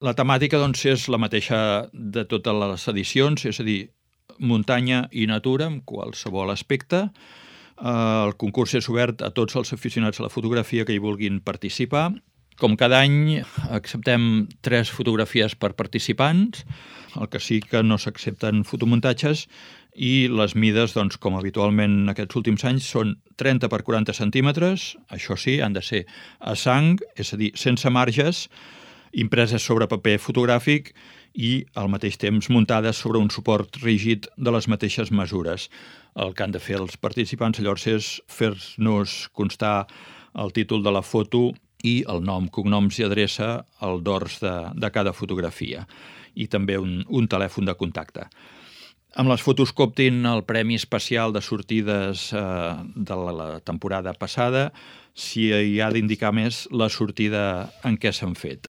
La temàtica doncs, és la mateixa de totes les edicions, és a dir, muntanya i natura en qualsevol aspecte. El concurs és obert a tots els aficionats a la fotografia que hi vulguin participar. Com cada any acceptem 3 fotografies per participants, el que sí que no s'accepten fotomuntatges, i les mides, doncs, com habitualment aquests últims anys, són 30 per 40 centímetres, això sí, han de ser a sang, és a dir, sense marges, impreses sobre paper fotogràfic i al mateix temps muntades sobre un suport rígid de les mateixes mesures. El que han de fer els participants llavors és fer-nos constar el títol de la foto i el nom, cognoms i adreça al dors de cada fotografia i també un telèfon de contacte. Amb les fotos que optin el premi especial de sortides de la temporada passada, s'hi ha d'indicar més la sortida en què s'han fet.